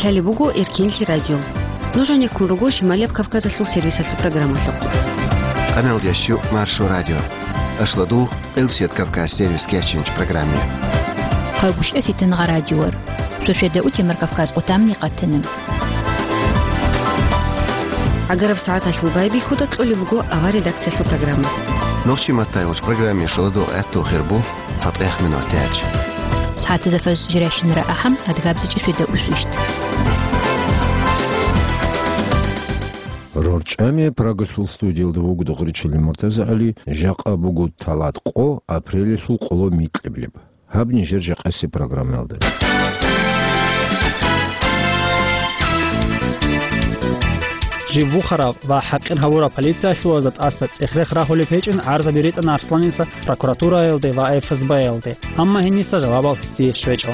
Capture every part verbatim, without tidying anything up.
Лъалеб буго Эркенлъи радио. Нуж гьанеккун руго Шималияб Кавказалъул сервисалъул программалъухъ. Къаналдящу Маршо радио. Ашладу Элсет Кавказ сервис кечинч программе. Хъагушев Фитнагъа радиор. Суседа у Темир Кавказ отамни къатина. Агараб сагӀаталъул байбихьуда кьолеб буго авар редакциялъул программа. Нохчи маттайгъуч программе шоладул гӀатту хирбу цатӀех минут тяч. СагӀатазда фаз жиращинара ахӀам, адгабзичӀи суседа усвищт. РорчӀами Прагалъул студиялда вуго Духричилин МуртазагӀали, жакъа буго талат къо, апрелалъул къоло микьиблеб. Гьаб нижер жакъасеб программаялда. Жив вухарав ва хӀакъир гьавурав полициялъулазда тӀаса цӀех-рех рагьулеб гьечӀин гӀарзаби ритӀана Арсланица прокуратураялде ва Ф С Б-ялде, амма гьениса жавабал гьесие щвечӀо.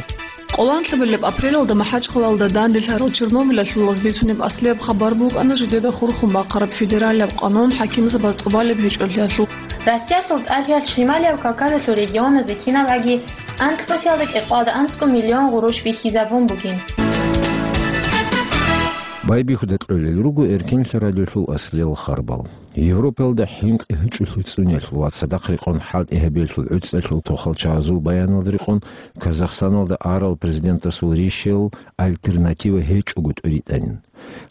Къоланлъабилеб апрелалда МахӀачхъалалда данделъарал Чернобылалъулаз бицунеб аслияб хабар букӀана жидеда хурхун бахъараб федералияб къанун хӀакимзабаз тӀубалеб гьечӀолъиялъул. Россиялъул тӀалъиялъ Шималияб Кавказалъул регионазе кинабгӀаги анкьнусиялда кӀикъоялда анцӀго миллион гъурущ бихьизабун бугин. Байбихьуда кьолел руго Эркенлъи радиолъул аслиял харбал. Европаялда хӀинкъи гьечӀолъи цӀуниялъул ва цадахъ рекъон хӀалтӀи гьабиялъул гӀуцӀалъул тохалчагӀазул баяналда рекъон Казахстаналда арал президентасул ришел альтернатива гьечӀого тӀуритӀанин.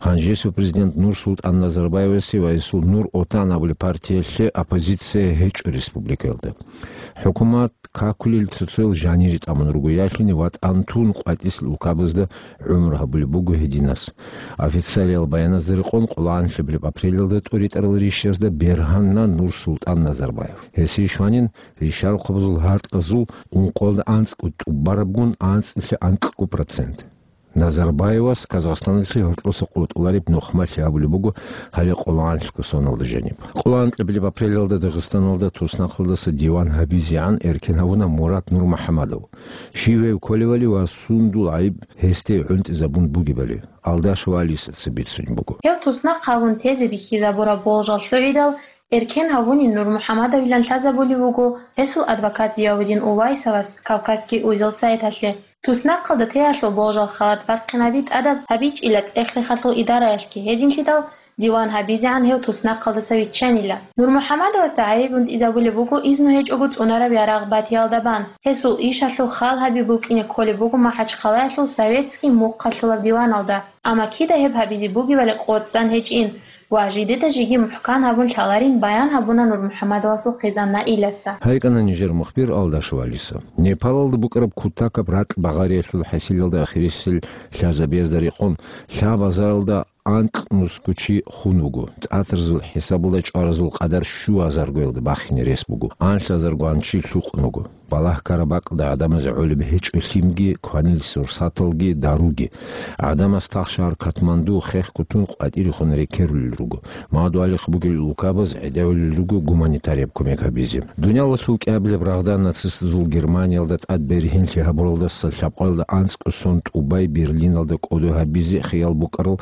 Гьанжесул президент Нур-Султан Назарбаевасе ва гьесул Нур-Отан абулеб партиялъе оппозиция гьечӀо республикаялда. ХӀукумат какулел цоцоял жанире тӀамун руго, ялъуни ватӀан тун къватӀисел улкабазда гӀумру гьабулеб буго гьединас. Официалиял баяназда рекъон, къоло анлъабилеб апрелалда тӀуритӀарал ришазда бергьанна Нур-Султан Назарбаев. Гьесие щванин ришарухъабазул гьартӀазул ункъоялда анцӀго тӀубарабгун анцӀила анкьго процент. Назарбаевас Казахстаналъе гьоркьоса къотӀулареб нухмалъи гьабулеб буго гьале къоло анлъго соналда жаниб. Къоло анлъабилеб апрелалда Дагъистаналда туснахъалдаса диван гьабизегӀан эркен гьавуна Мурат Нурмухьамадов. Щив гьев кколевали ва сундул гӀайиб гьесде гӀунтӀизабун бугебали, Алдашева Алисаца бицунеб буго. Гьев туснахъ гьабун тезе бихьизабураб болжал лъугӀидал, эркен гьавунин Нурмухьамадовилан лъазабулеб буго гьесул адвокат Зиявудин Увайсовас Кавказский узел сайталъе. Туснахъалда теялъул болжал халат бахъинаби тӀадаб гьабичӀила цӀех-рехалъул идараялъги гьединлъидал, диван гьабизегӀан гьев туснахъалдаса виччанила. Нурмухьамадовасда гӀайиб гӀунтӀизабулеб буго изну гьечӀого цӀунараб ярагъ батиялда бан. Гьесул ишалъул хал гьаби букӀине кколеб буго МахӀачхъалаялъул советский мухъалъулаб диваналда. Амма кида гьеб гьабизе бугебали къоцӀцӀан гьечӀин ва жидеда жеги мухӀкан гьабун лъаларин баян гьабуна Нурмухьамадовасул хъизан Наилаца. ГьайкӀана нижер мухбир Алдашева Алиса. Непалалда букӀараб кутакаб ракь багъариялъул хӀасилалда ахирисел лъазабиязда рекъон, лъабазаралда анкьнусго чи хун вуго. ТӀатарзул хӀисабалда чӀваразул къадар щуазаргоялда бахине рес буго. Анлъазаргоан чи лъукъун вуго. Балагь-карабакьалда гӀадамазе гӀолеб гьечӀо лъимги, кванил сурсаталги, даруги. ГӀадамаз тахшагьар Катманду хехго тун къватӀирехун рекерулел руго. Мадугьалихъ бугел улкабаз гӀедавулел руго гуманитарияб кумек гьабизе. Дуниялалъул кӀиабилеб рагъда нацистазул Германиялда тӀад бергьенлъи гьабуралдаса лъабкъоялда анцӀго сон тӀубай Берлиналда кӀодо гьабизе хиял букӀарал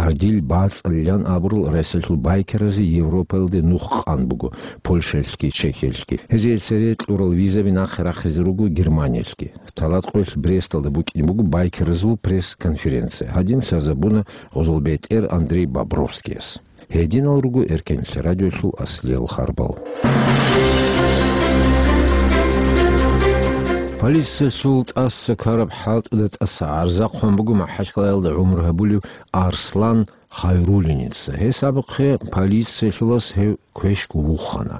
сардил бацӀалилан абурал Россиялъул байкеразе Европаялде нух къан буго, Польшаялъги Чехиялъги. Гьезие цере кьурал визаби нахъе рахизе руго Германиялъги. Талат къоялъ Бресталда букӀине буго байкеразул пресс-конференция. Гьадин лъазабуна гъозолбетӀер Андрей Бобровскияс. Гьединал руго Эркенлъи радиолъул аслиял харбал. Полициялъул тӀаса ккараб хӀалтӀуда тӀаса гӀарза хъван буго МахӀачхъалаялда гӀумру гьабулев Арслан Хайруллиница. Гьес абухъе полициялъулас гьев квешго вухана.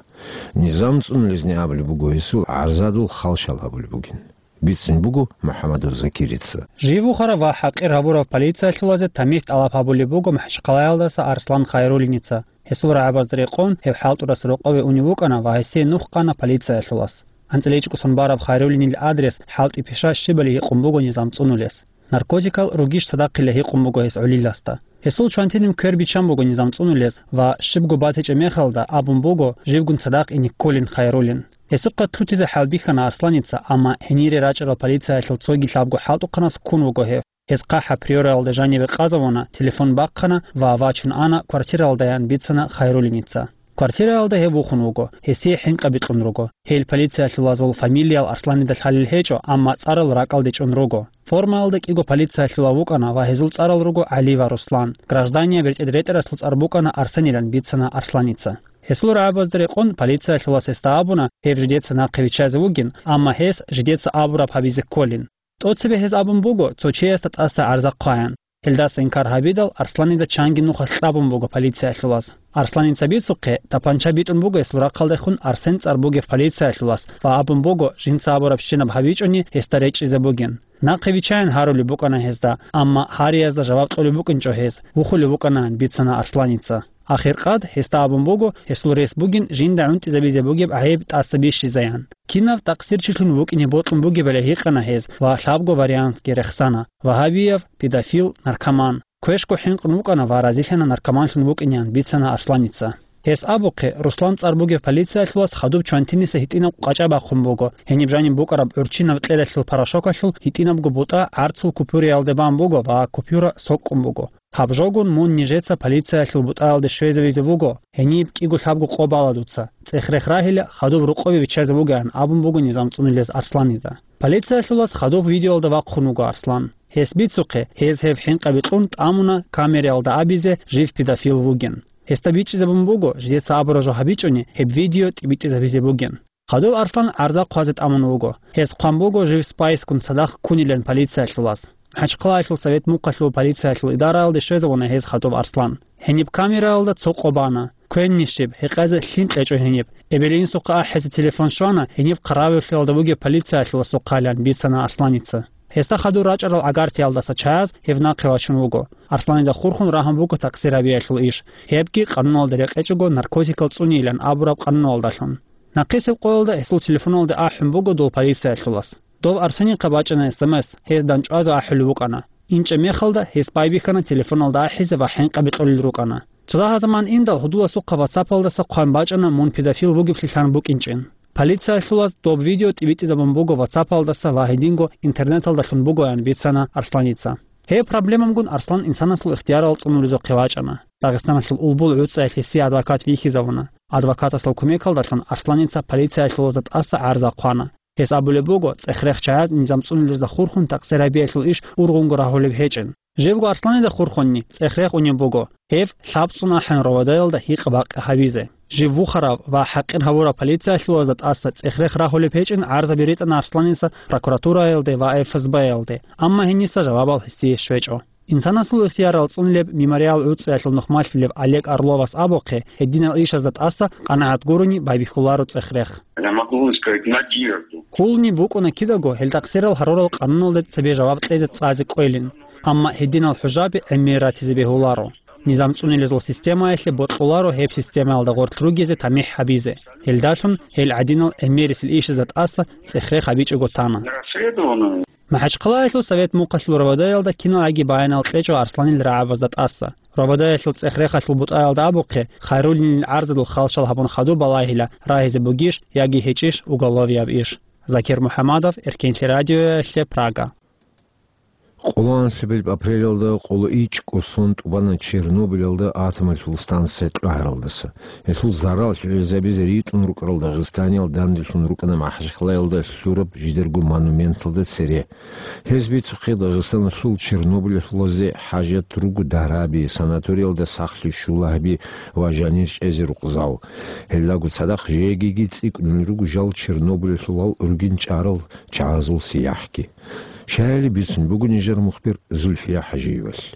Низам цӀунулезни абулеб буго, гьесул гӀарзадул халщал гьабулеб бугин. Бицин буго МухӀаммадов Закирица. Жив вухарав ва хӀакъир гьабурав полициялъулазе тамихӀ тӀалаб гьабулеб буго МахӀачхъалаялдаса Арслан Хайруллиница. Гьесул рагӀабазда рекъон гьев хӀалтӀудаса рокъове унев вукӀана ва гьесие нух къана полициялъулас. АнцӀила ичӀго сон бараб Хайруллинил адрес, хӀалтӀи-пиша щибали гьикъун буго низам цӀунулес. Наркотикал ругищ цадахъила гьикъун буго гьес гӀолиласда. Гьесул чвантинив квер биччан буго низам цӀунулес ва щибго батичӀеб мехалда абун буго живгун цадахъ ине кколин Хайруллин. Гьесухъа лъутизе хӀалбихьана Арсланица, амма гьенире рачӀарал полициялъул цоги лъабго хӀалтӀухъанас ккун вуго гьев. Гьес хъахӀаб Приораялда жаниве къазавуна, телефон бахъана ва вачун ана квартиралдаян бицана Хайруллиница. Квартираялда гьев вухун вуго, гьесие хӀинкъаби кьун руго. Гьел полициялъулазул фамилиял Арсланида лъалел гьечӀо, амма цӀарал ракӀалде чӀун руго. Формаялда кӀиго полициялъулав вукӀана ва гьезул цӀарал руго ГӀали ва Руслан. Гражданияб бертӀед ретӀарасул цӀар букӀана Арсенилан, бицана Арсланица. Гьесул рагӀабазда рекъон полициялъулас гьесда абуна, гьев жидеца нахъе виччазе вугин, амма гьес жидеца абураб гьабизе кколин. ТӀоцебе гьез абун буго, цо чиясда тӀаса гӀарза хъваян. Гьелдаса инкар гьабидал, Арсланида чанги нухалъ кьабун буго полициялъулас. Арсланица бицухъе, тапанча битӀун буго гьесул рахъалдехун Арсен цӀар бугев полициялъулас ва абун буго, жинца абураб щинаб гьабичӀони, гьесда речӀчӀизе бугин. Нахъе виччаян гьарулеб букӀана гьезда, амма гьариязда жаваб кьолеб букӀинчӀо гьез, вухулев вукӀанан, бицана Арсланица. Ахиркъад гьесда абун буго, гьесул рес бугин жинда гӀунтӀизабизе бугеб гӀайиб тӀаса бищизаян. Кинав такъсирчилъун вукӀине бокьун бугебали гьикъана гьез ва лъабго вариантги рехсана: вагьабияв, педофил, наркоман. Квешго хӀинкъун вукӀана ва разилъана наркоманлъун вукӀинеян, бицана Арсланица. Гьес абухъе, Руслан цӀар бугев полициялъулас хадуб чвантиниса гьитӀинаб къачӀа бахъун буго, гьениб жаниб букӀараб гӀурччинаб кьералъул порошокалъул гьитӀинабго бутӀа гӀарцул купюраялде бан буго ва купюра сокӀкӀун буго. Гьаб жогун мун нижеца полициялъул бутӀаялде щвезавизе вуго, гьениб кӀиго-лъабго къо бала дуца. ЦӀех-рех рагьила, хадуб рукъобе биччазе вугеан абун буго низам цӀунилез Арсланида. Полициялъулас хадуб видеоялда вахъун вуго Арслан. Гьес бицухъе, гьез гьев хӀинкъаби кьун тӀамуна камераялда абизе жив педофил вугин. Гьесда бичӀчӀизабун буго, жидеца абураб жо гьабичӀони, гьеб видео тӀибитӀизабизе бугин. Хадуб Арслан гӀарза хъвазе тӀамун вуго. Гьес хъван буго жив спайскун цадахъ ккунилан полициялъулас. МахӀачхъалаялъул Совет Мухъалъул полициялъул идараялде щвезавуна гьез хадуб Арслан. Гьениб камераялда цо къо бана. Квенни щиб, гьекъезе лъим кьечӀо гьениб. Эбел-инсухъе ахӀизе телефон щвана, гьениб хъаравуллъиялда вугев полициялъуласухъайилан, бицана Арсланица. Гьесда хадур рачӀарал гӀагартиялдаса чаяз гьев нахъе вачун вуго. Арсланида хурхун рагьун буго такъсирабиялъул иш, гьебги къануналда рекъечӀого наркотикал цӀунейилан абураб къануналдалъун. Нахъисеб къоялда гьесул телефоналде ахӀун буго дол полициялъулас. Дов Арсенихъа бачӀана эс эм эс, гьез дандчӀвазе ахӀулев вукӀана. ИнчӀеб мехалда гьес байбихьана телефоналда ахӀизе ва хӀинкъаби кьолел рукӀана. Цо дагьа заман индал гьудуласухъа ватсапалдаса хъван бачӀана мун педофил вугеблъилъан букӀинчӀин. Полициялъулас доб видео тӀибитӀизабун буго ватсапалдаса ва гьединго интернеталдалъун бугоян, бицана Арсланица. Гьеб проблемамгун Арслан инсанасул ихтиярал цӀунулезухъе вачӀана. Дагъистаналъул Улбул гӀуцӀаялъ гьесие адвокат вихьизавуна. Адвокатасул кумекалдалъун Арсланица полициялъулазда тӀаса гӀарза хъвана. Гьес абулеб буго, цӀех-рех чагӀаз низам цӀунулезда хурхун такъсирабиялъул иш ургъунго рагьулеб гьечӀин. Живго Арсланида хурхунни цӀех-рех унеб буго, гьев лъабцӀун ахӀун РОВД-ялда гьикъа-бакъи гьабизе. Жив вухарав ва хӀакъир гьавурав полициялъулазда тӀаса цӀех-рех рагьулеб гьечӀин гӀарзаби ритӀана Арсланица прокуратураялде ва Ф С Б-ялде, амма гьениса жавабал гьесие щвечӀо. Инсанасул ихтиярал цӀунулеб Мемориал гӀуцӀиялъул нухмалъулев Олег Орловас абухъе, гьединал ишазда тӀаса къанагӀат гурони байбихьуларо цӀех-рех. Я могу вам сказать, надежду. Кколни букӀуна кидаго гьел такъсирал гьарурал къануналде цебе жаваб кьезе цӀазе кӀвелин. Амма гьединал хӀужаби гӀемер ратизе бегьуларо. Низам цӀунилезул системаялъе бокьуларо гьеб системаялда гъорлъ ругезе тамихӀ гьабизе. Гьелдалъун гьел гӀадинал гӀемерисел ишазда тӀаса цӀех-рех гьабичӀого тана. Расследовано. МахӀачхъалаялъул Совет Мухъалъул РОВД-ялда киналги баянал кьечӀо Арсланил рагӀабазда тӀаса. РОВД-ялъул цӀех-рехалъул бутӀаялда абухъе, хайруллъинил гӀарзалъул халщал гьабун хадуб балагьила, рагьизе бугищ яги гьечӀищ уголовияб иш. Закир МухӀамадов, Эркенлъи радиоялъе, Прага. Къоло анлъабилеб апрелалда къоло ичӀго сон тӀубана Чернобыльалда атомалъул станция кьвагьаралдаса. Гьелъул зарал лъугӀизабизе ритӀун рукӀарал Дагъистаниял данделъун рукӀана МахӀачхъалаялда лъураб жидерго монументалда цере. Гьез бицухъе, Дагъистаналъул Чернобыльалъулазе хӀажат руго дараби, санаториялда сахлъи, шулагьби ва жанир чӀезе рукъзал. Гьелдаго цадахъ жегиги цӀикӀкӀунел руго жал Чернобыльалъулал ругин чӀарал чагӀазул сияхӀги. Щаяли бицун буго нижер мухбир Зульфия ХӀажиевалъ.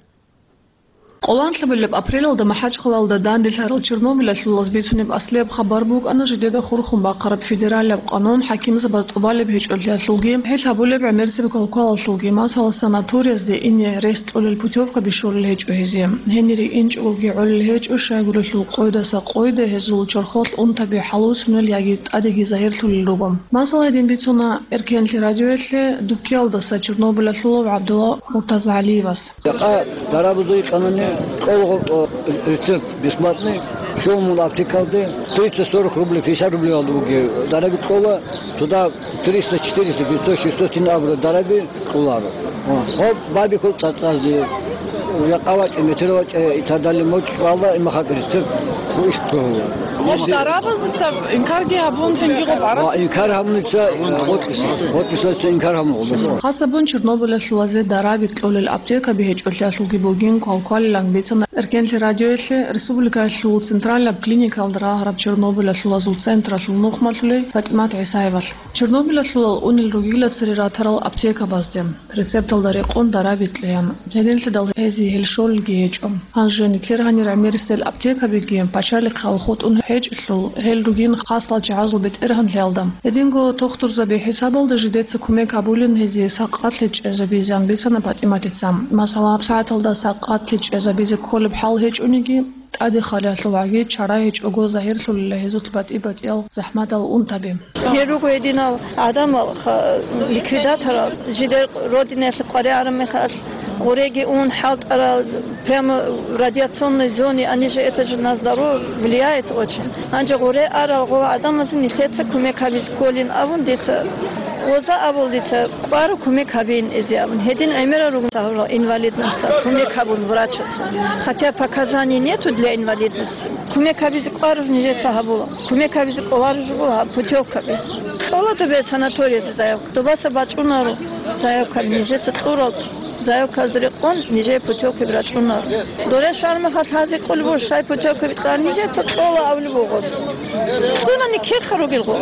Къоло анлъабилеб апрелалда МахӀачхъалаялда данделъарал Чернобыльалъулаз бицунеб аслияб хабар букӀана жидеда хурхун бахъараб федералияб къанун, хӀакимзабаз тӀубалеб гьечӀолъиялъулги, гьел гьабулеб гӀемерисеб квалквалалъулги, масала, санаториязде ине рес кьолел путёвка бищулел гьечӀо гьезие. Гьенире инчӀогоги гӀолел гьечӀо, щайгурелъул къойдаса къойде гьезул чорхолъ унтаби хӀалуцунел яги тӀадеги загьирлъулел руго. Масала, гьедин бицуна Эркенлъи радиоялъе Дуккиялдаса Чернобыльалъулав ГӀабдулла МуртазагӀалиевас. Жакъа дарабазул къануне кӀолго, о, рецепт бесплатный, щолмун аптекалде, тридцать, сорок рублей, пятьдесят рублей алда бугеб дараби кьола, туда триста, четыреста, пятьсот, шестьсот тин абура дараби кьоларо. О, гьоб байбихьул цӀацӀазде, жакъа вачӀа, метер вачӀа, и так далее, мочӀ вала, имахъа рецепт, ху иш кьола. Гъош дарабаздаса инкарги гьабун, цинги гъоб гӀарац. Ва инкар гьабуница къотӀиса, къотӀисаца инкар гьабун гъобаса. Хасабун Чернобылалъулазе дараби кьолел аптекаби гьечӀолъиялъулги бугин квалквалилан бицана Эркенлъи радиоялъе республикаялъул централаб клиникалда рагьараб Чернобылалъулазул централъул нухмалъулей ПатӀимат ГӀисаевалъ. Чернобылалъулал унел ругила цере ратарал аптекабазде, рецепталда рекъон дараби кьеян. Гьединлъидал гьезие гьел щолелги гьечӀо. Гьанже нилъер гьанир гӀемерисел аптекабиги пачалихъал хутӀун гьечӀелъул, гьел ругин хасал чагӀазул бетӀергьанлъиялда. Гьединго тухтурзаби хӀисабалда жидеца кумек гьабулин гьезие сакъатлъи чӀезабизан бицана ПатӀиматица. Масала, гьабсагӀаталда сакъатлъи чӀезабизе кколеб хӀал гьечӀониги, тӀаде халиялъул гӀаги чара гьечӀого загьирлъулила гьезул батӀи-батӀиял захӀматал унтаби. Гьел руго гьединал гӀадамал ха-, ликвидаторал, жидер родинаялъе къваригӀараб мехалъ, гъуреги ун, хӀалтӀарал, прямо в радиационной зоне, они же, это же на здоровье влияет очень. Гьанже гъуре арал гъо гӀадамазе нилъеца кумек гьабизе кколин абун дица, гъоза абул дица, кӀваро кумек гьабин эзе абун. Гьедин гӀемерал ругин гьавурал инвалидностал кумек гьабун врачаца. Хотя показаний нету для инвалидности. Кумек гьабизе кӀвараб нижеца гьабула. Кумек гьабизе кӀолареб жо буго гьаб путевкаби. Кьола добе санаториясе заявка. Добаса бачӀунаро заявка, нижеца кьурал заявказда рекъон нижее путевкаби рачӀунаро. Доре шармаха лъазе кӀолеб буго, щай путевкаби кьа, нижеца кьола абулеб буго. Дуна никеха ругел гъо.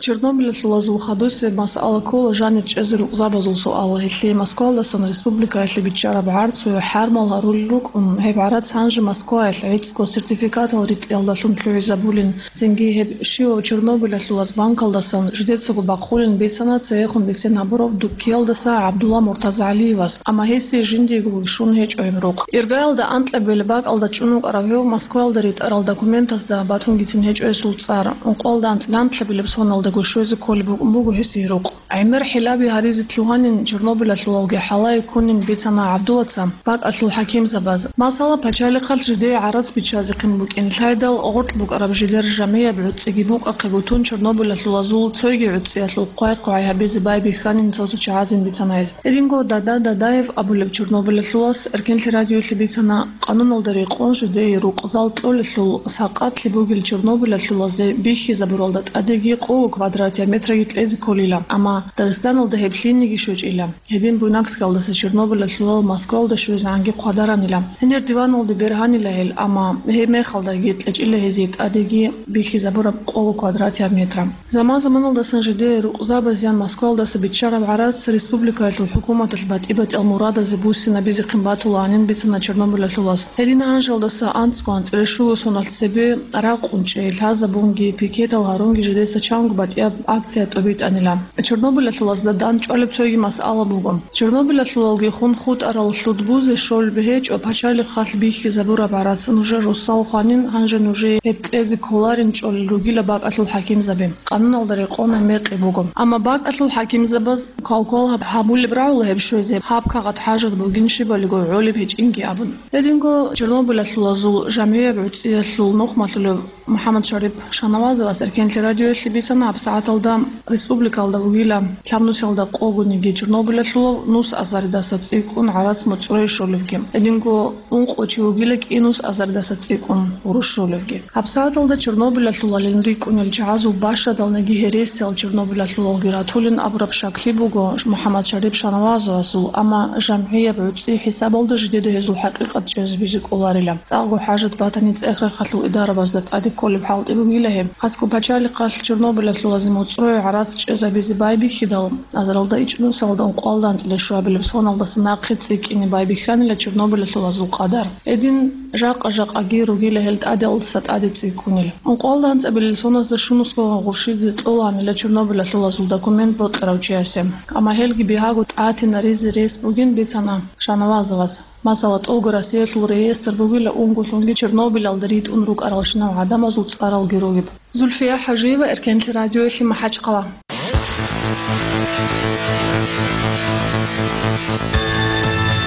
Чернобылалъулазул хадусеб масъала ккола жанир чӀезе рукъзабазул суал. Гьелъие Москвалдасан республикаялъе биччараб гӀарцу хӀармал гьарулел рукӀун, гьеб гӀарац гьанже Москваялъ гӀицӀго сертификатал ритӀиялдалъун лъугӀизабулин. Цинги гьеб щивав Чернобылалъулаз банкалдасан жидецаго бахъулин бицана цеехун бицен гьабурав Дуккиялдаса ГӀабдулла МуртазагӀалиевас, амма гьесие жиндиего вищун гьечӀо гьеб рукъ. Иргаялда анкьабилеб бакӀалда чӀун вукӀарав гьев Москваялда ритӀарал документазда батунгицин гьечӀо гьесул цӀар. Ункъоялда анцӀила анкьабилеб соналдаго щвезе кколеб букӀун буго гьесие рукъ. ГӀемер хӀилаби гьаризе лъугьанин Чернобылалъулалги хӀалае ккунин бицана ГӀабдуллаца бакӀалъул хӀакимзабаз. Масала, пачалихъалъ жидее гӀарац биччазехъин букӀин лъайдал, гъоркь букӀараб жидер жамияб гӀуцӀиги букӀахъего тун Чернобылалъулазул цойги гӀуцӀиялъул хъвай-хъвай гьабизе байбихьанин цо-цо чагӀазин бицана гьез. Гьединго Дада Дадаев абулеб Чернобылалъулас Эркенлъи радиоялъе бицана, къануналда рекъон жидее рукъзал кьолелъул сакъатлъи бугел Чернобылалъулазе бихьизабуралда тӀадеги къого квадратиаб метраги кьезе кколила, амма Дагъистаналда гьеб лъиениги щвечӀила. Гьедин Буйнакскалдаса Чернобылалъулал Москвалда щвезегӀанги хъвадаранила. Гьенир диваналде бергьанила гьел, амма гьеб мехалдаги кьечӀила гьезие тӀадеги бихьизабураб къого квадратиаб метра. Заман-заманалдасан жидее рукъзабазеян Москвалдаса биччараб гӀарац республикаялъул хӀукуматалъ батӀи-батӀиял мурадазе буссинабизехъин батулаанин бицана Чернобылалъулас. Гьедин гьанжалдаса анцӀго анцӀила щуго соналъ цебе ракъун чӀей, лъазабунги, пикетал гьарунги жидеца чанго батӀияб акция тӀобитӀанила. Чернобылалъулазда дандчӀвалеб цоги масъала буго. Чернобылалъулалги хун хутӀарал лъудбузе щолеб гьечӀо пачалихъалъ бихьизабураб гӀарац нужер руссал хванин, гьанже нужее гьеб кьезе кколарин чӀолел ругила бакӀалъул хӀакимзаби. Къануналда рекъона мекъи буго. Амма бакӀалъул хӀакимзабаз квалквал гьаб-, гьабулеб рагӀула гьеб щвезе, гьаб кагъат хӀажат бугин щибалиго гӀолеб гьечӀинги абун. Гьединго Чернобылалъулазул жамгӀияб гӀуцӀиялъул нухмалъулев МухӀаммад Шарип Шанавазовас Эркенлъи радиоялъе бицана гьабсагӀаталда республикалда вугила лъабнусиялда къогониги Чернобылалъулав нус азаридаса цӀикӀкӀун гӀарац моцӀрое щолевги. Гьединго ункъо чи вугила кӀинус азаридаса цӀикӀкӀун гъурущ щолевги. ГьабсагӀаталда Чернобылалъулалин рикӀкӀунел чагӀазул бащадалниги гьересиял Чернобылалъулалги ратулин абураб щаклъи буго МухӀаммад Шарип Шанавазовасул, амма жамгӀияб гӀуцӀи хӀисабалда жидеда гьезул хӀакъикъат чӀезабизе кӀоларила. ЦӀакъго хӀажат батани, цӀех-рахъалъул идарабазда тӀаде кколеб хӀалтӀи бугила гьеб. Хасго пачалихъалъ Чернобылалъулазе моцӀрое гӀарац чӀезабизе байбихьидал, азаралда ичӀнусалда ункъоялда анцӀила щуабилеб соналдаса нахъе цӀикӀкӀине байбихьанила Чернобылалъулазул къадар. Гьедин жакъа-жакъаги ругила гьел тӀадалдаса тӀаде цӀикӀкӀунел. Ункъоялда анцӀабилел соназда щунусго гъурщизе кьолаанила Чернобылалъулазул документ бокьарав чиясе. Амма гьелги бигьаго тӀатинаризе рес бугин бицана Шанавазовас. Масала, тӀолго Россиялъул реестр бугила унго лъунги Чернобылалда ритӀун рукӀаралщинал гӀадамазул цӀаралги ругеб. Зульфия ХӀажиева, Эркенлъи радиоялъе, МахӀачхъала.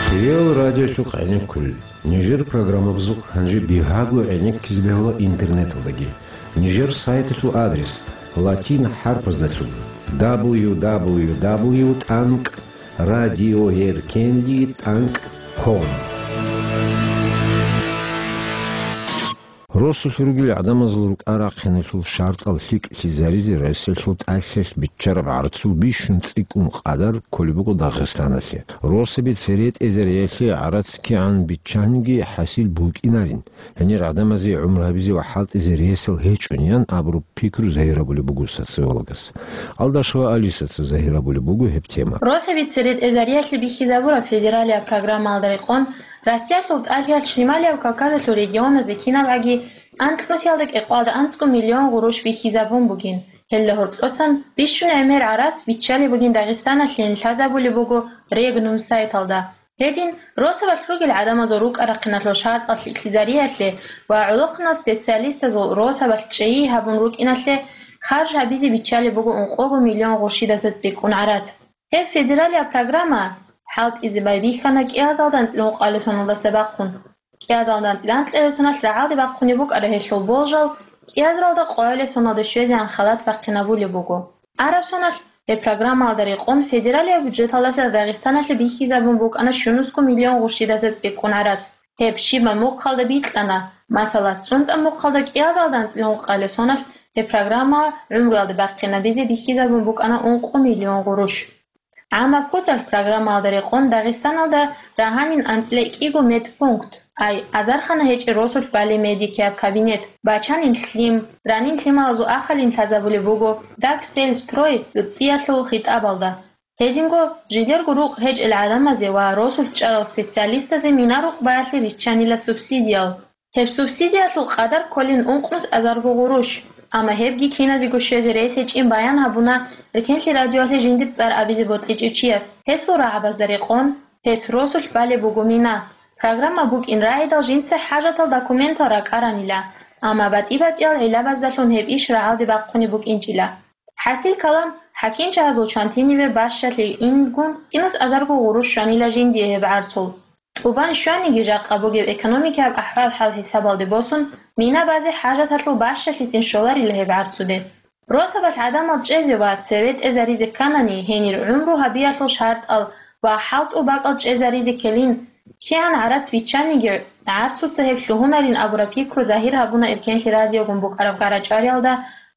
Хириял радиолъул къенеккулел. Нижер программабазухъ гьанже бигьаго гӀенеккизе бегьула интернеталдаги. Нижер сайталъул адрес латин хӀарпаздалъун: дабл ю дабл ю дабл ю тӀанкӀ радиоэркенлъи тӀанкӀ ком. Росулъ ругел гӀадамазул рукӀа-рахъиналъул шартӀал лъикӀлъизаризе Россиялъул тӀалъиялъ биччараб гӀарцул бищун цӀикӀкӀун къадар кколеб буго Дагъистаналъе. Росаби цере тӀезариялъе гӀарац кигӀан биччаниги хӀасил букӀинарин, гьенир гӀадамазе гӀумру гьабизе ва хӀалтӀизе ресал гьечӀони, ян абураб пикру загьир гьабулеб буго социологас. Алдашева Алисаца загьир гьабулеб буго гьеб тема. Росаби цере тӀезариялъе бихьизабураб федералияб программаялда рекъон, Россиялъул тӀалъиялъ Шималияб Кавказалъул регионазе кинабгӀаги анкьнусиялда кӀикъоялда анцӀго миллион гъурущ бихьизабун бугин. Гьелда гьоркьосан бищун гӀемер гӀарац биччалеб бугин Дагъистаналъе, лъазабулеб буго Регнум сайталда. Гьедин, росабалъ ругел гӀадамазул рукӀа-рахъиналъул шартӀал лъикӀлъизариялъе ва гӀолохъанал специалистазул росабалъ чӀей гьабун рукӀиналъе харж гьабизе биччалеб буго ункъого миллион гъурщидаса цӀикӀкӀун гӀарац. Гьеб федералияб программа хӀалтӀизе байбихьана кӀиазалда анцӀила ункъоялда соналдаса бахъун. КӀиазалда анцӀила анкьила соналъ рагӀалде бахъунеб букӀараб гьелъул болжал кӀиазалда къоялил соналде щвезегӀан халат бахъинабулеб буго. Араб соналъ гьеб программаялда рекъон федералияб бюджеталдаса Дагъистаналъе бихьизабун букӀана щунусго миллион гъурщидаса цӀикӀкӀун гӀарац. Гьеб щибаб мухъалда бикьана, масала, цӀунтӀа мухъалда кӀиазалда анцӀила ункъоялил соналъ гьеб программа гӀумруялда бахъинабизе бихьизабун букӀана ункъо миллион гъурущ. ГӀамаб куцалъ программаялда рекъон Дагъистаналда рагьанин анцӀила кӀиго медпункт, ай, азархана гьечӀеб росулъ балеб медикияб кабинет, бачанин лъим, ранин лъималазул ахалин лъазабулеб буго Дагсельстрой цӀиялъул хитӀабалда. Гьединго жидерго рукъ гьечӀел гӀадамазе ва росулъ чӀарал специалистазе мина-рукъ баялъе риччанила субсидиял. Гьеб субсидиялъул къадар кколин ункънус азарго гъурущ, амма гьебги киназего щвезе рес гьечӀин баян гьабуна Эркенлъи радиоялъе жиндир цӀар абизе бокьичӀев чияс. Гьесул рагӀабазда рекъон, гьес росулъ балеб буго мина. Программа букӀин рагӀидал жинца хӀажатал документал ракӀаранила, амма батӀи-батӀиял гӀиллабаздалъун гьеб иш рагӀалде бахъунеб букӀинчӀила. ХӀасил калам, хӀакимчагьазул чантиниве бащалъе ингун, кинус азарго гъурущ щванила жиндие гьеб гӀарцул. ТӀубан щваниги, жакъа бугеб экономикаяб ахӀвал-хӀал хӀисабалде босун, мина базе хӀажаталъул бащалъицин щоларила гьеб гӀарцуде. Росабалъ гӀадамал чӀезе ва цеве тӀезаризе кканани, гьенир гӀумру гьабиялъул шартӀал ва хӀалтӀул бакӀал чӀезаризе ккелин, кигӀан гӀарац биччаниги, гӀарцуца гьеб лъугьунарин абураб пикру загьир гьабуна Эркенлъи радиогун букӀараб гарачӀвариялда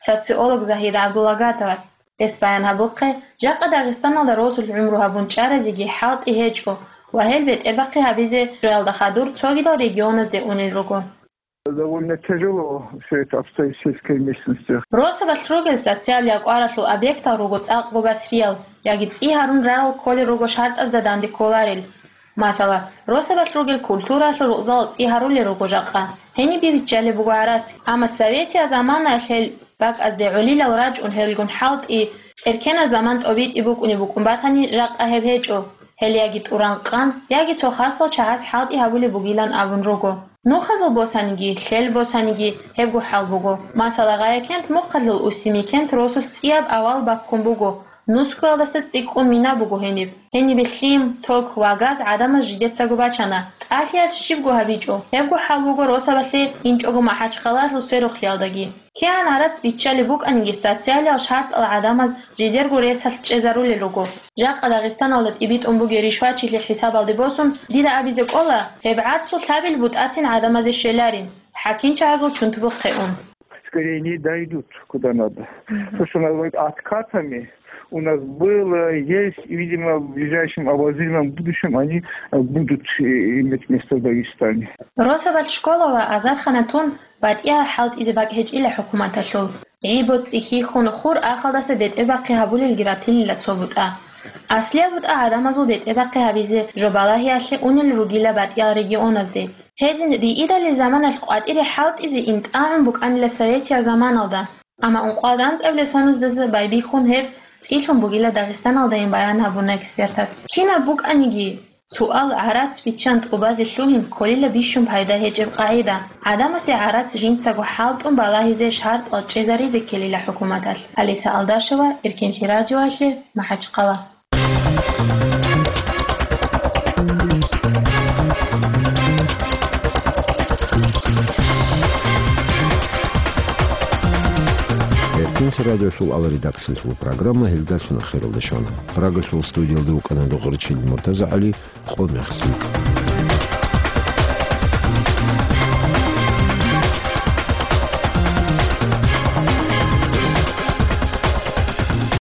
социолог Загьир ГӀабдулагатовас. Гьес баян гьабухъе, жакъа Дагъистаналда росулъ гӀумру гьабун чӀаразеги хӀалтӀи гьечӀо ва гьел бетӀербахъи гьабизе жоялда хадур цогидал регионазде унел руго. Довольно тяжело все это обстоит в сельской местности. Росабалъ ругел социал якӀваралъул объектал руго цӀакъго басриял, яги цӀи гьарун рарал кколел руго шартӀазда данде кколарел. Масала, росабалъ ругел культуралъул рукъзал цӀи гьарулел руго жакъа. Гьениб биччалеб буго гӀарац. Амма советиял заманаялъ гьел бакӀазде гӀолилал рачӀун гьелгун хӀалтӀи, эркеназ заман тӀобитӀи букӀунеб букӀун батани, жакъа гьеб гьечӀо. Гьел яги тӀуран къан, яги цо хасал чагӀаз хӀалтӀи гьабулеб бугилан абун руго. Нухазул босаниги, лъел босаниги гьебго хӀал буго. Масала, Гъаякент мухъалъул Усимикент росулъ цӀияб авал баккун буго, нускуялдаса цӀикӀкӀун мина буго гьениб. Гьенибе лъим, ток ва газ гӀадамаз жидецаго бачана. ТӀалъиялъ щибго гьабичӀо, гьебго хӀал буго росабалъе инчӀого МахӀачхъалалъул сверухълъиялдаги. КигӀан гӀарац биччалеб букӀаниги, социалиял шартӀал гӀадамаз жидерго ресалъ чӀезарулел руго. Жакъа Дагъистаналда тӀибитӀун бугеб ришвачилъи хӀисабалде босун, дида абизе кӀола, гьеб гӀарцул лъабил бутӀацин гӀадамазе щвеларин, хӀакимчагьазул чунтубухъе ун. Скорее не дойдут, куда надо. Мгм. То, что называют откатами, у нас было, есть, и, видимо, в ближайшем обозримом будущем они, э, будут, э, иметь место в Дагестане. Росабалъ школа ва азархана тун батӀиял хӀалтӀизе бакӀ гьечӀила хӀукуматалъул. ГӀи-боцӀи хьихьун, хур ахалдаса бетӀербахъи гьабулелги ратилила цо бутӀа. Аслияб бутӀа гӀадамазул бетӀербахъи гьабизе жо балагьиялъе унел ругила батӀиял регионазде. Гьедин риидалил заманалъ къватӀире хӀалтӀизе имтӀагӀун букӀанила советиял заманалда, амма ункъоялда анцӀабилеб соназдаса байбихьун гьеб цӀилъун бугила Дагъистаналдайин баян гьабуна экспертас. Кинаб букӀаниги, суал гӀарац биччан тӀубазе лъугьин кколила бищун пайда гьечӀеб къагӀида. ГӀадамасе гӀарац жинцаго хӀалтӀун балагьизе шартӀал чӀезаризе ккелила хӀукуматалъ. Алиса Алдашева, Эркенлъи радиоялъе, МахӀачхъала. Эркенлъи радиолъул редакциялъул программа гьелдалъун ахиралде щвана. Прагалъул студиялда вукӀана Догъричил МуртазагӀали, къо мехлъи.